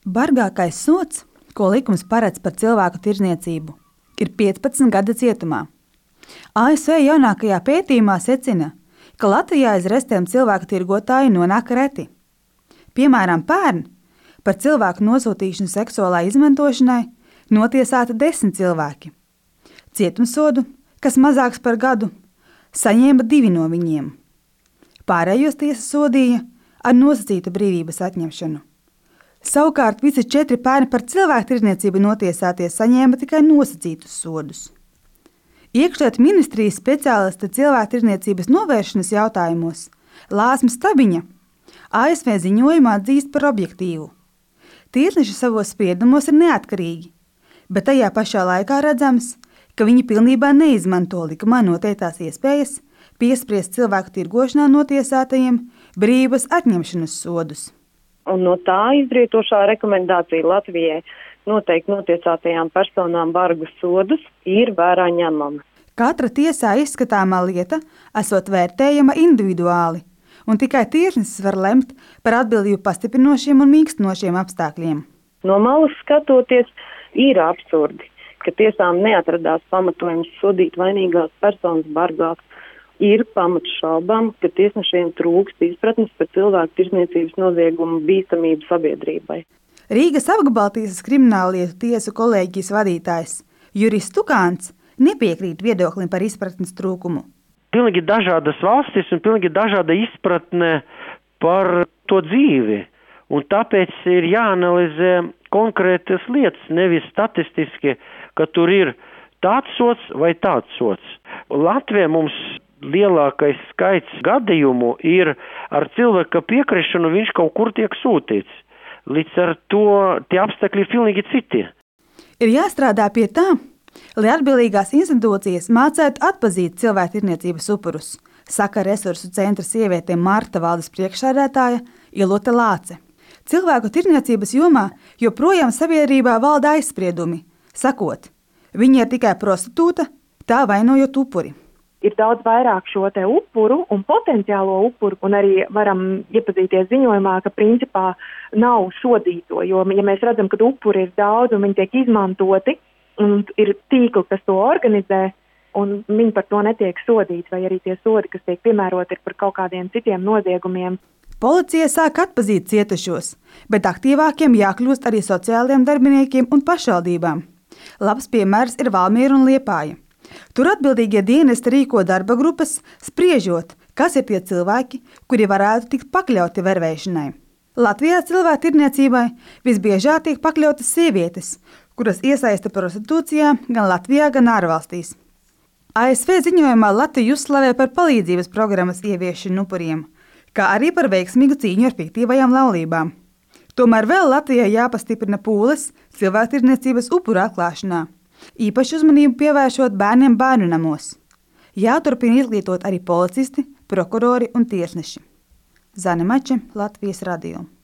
Bargākais sods, ko likums paredz par cilvēku tirdzniecību, ir 15 gadi cietumā. ASV jaunākajā pētījumā secina, ka Latvijā aiz restēm cilvēku tirgotāji nonāk reti. Piemēram, pērn par cilvēku nosūtīšanu seksuālai izmantošanai notiesāti 10 cilvēki. Cietumsodu, kas mazāks par gadu, saņēma 2 no viņiem. Pārējos tiesa sodīja ar nosacītu brīvības atņemšanu. Savukārt visi 4 pērni par cilvēku tirdzniecību notiesātie saņēma tikai nosacītus sodus. Iekšlietu ministrijas speciāliste cilvēku tirdzniecības novēršanas jautājumos Lāsma Stabiņa ASV ziņojumā atzīst par objektīvu. Tiesneši savos spriedumos ir neatkarīgi, bet tajā pašā laikā redzams, ka viņi pilnībā neizmanto likumā noteiktās iespējas piespriest cilvēku tirgošanā notiesātajiem brīvības atņemšanas sodus. Un no tā izrietošā rekomendācija Latvijai noteikti notiesātajām personām bargu sodus ir vērā ņemama. Katra tiesā izskatāmā lieta esot vērtējama individuāli, un tikai tiesnesis var lemt par atbildību pastiprinošiem un mīkstinošiem apstākļiem. No malas skatoties, ir absurdi, ka tiesām neatradās pamatojums sodīt vainīgās personas bargāk. Ir pamats šaubām, ka tiesnešiem trūkst izpratnes par cilvēku tirdzniecības noziegumu bīstamību sabiedrībai. Rīgas apgabaltiesas krimināllietu tiesu kolēģijas vadītājs Juris Tukāns nepiekrīt viedoklim par izpratnes trūkumu. Pilnīgi dažādas valstis un pilnīgi dažāda izpratne par to dzīvi, un tāpēc ir jāanalizē konkrētas lietas, nevis statistiski, ka tur ir tāds sods vai tāds sods. Latvijā mums lielākais skaits gadījumu ir ar cilvēka piekrišanu, viņš kaut kur tiek sūtīts. Līdz ar to tie apstākļi ir pilnīgi citi. Ir jāstrādā pie tā, lai atbildīgās institūcijas mācētu atpazīt cilvēku tirdzniecības upurus, saka resursu centra sievietēm Marta valdes priekšsēdētāja Ilute Lāce. Cilvēku tirdzniecības jomā joprojām sabiedrībā valda aizspriedumi, sakot, viņa ir tikai prostitūta, tā vainojot upuri. Ir daudz vairāk šo te upuru un potenciālo upuru, un arī varam iepazīties ziņojumā, ka principā nav sodīto, jo, ja mēs redzam, ka upuri ir daudz un viņi tiek izmantoti, un ir tīkli, kas to organizē, un viņi par to netiek sodīti, vai arī tie sodi, kas tiek piemēroti, ir par kaut kādiem citiem noziegumiem. Policija sāk atpazīt cietušos, bet aktīvākiem jākļūst arī sociālajiem darbiniekiem un pašvaldībām. Labs piemērs ir Valmiera un Liepāja. Tur atbildīgie dienesti rīko darba grupas, spriežot, kas ir tie cilvēki, kuri varētu tikt pakļauti vervēšanai. Latvijā cilvēku tirdzniecībai visbiežāk tiek pakļautas sievietes, kuras iesaista prostitūcijā gan Latvijā, gan ārvalstīs. ASV ziņojumā Latviju uzslavē par palīdzības programmas ieviešanu upuriem, kā arī par veiksmīgu cīņu ar fiktīvajām laulībām. Tomēr vēl Latvijai jāpastiprina pūles cilvēku tirdzniecības upuru atklāšanā. Īpaši uzmanību pievēršot bērniem bērnu namos. Jāturpina izglītot arī policisti, prokurori un tiesneši. Zane Mače, Latvijas radio.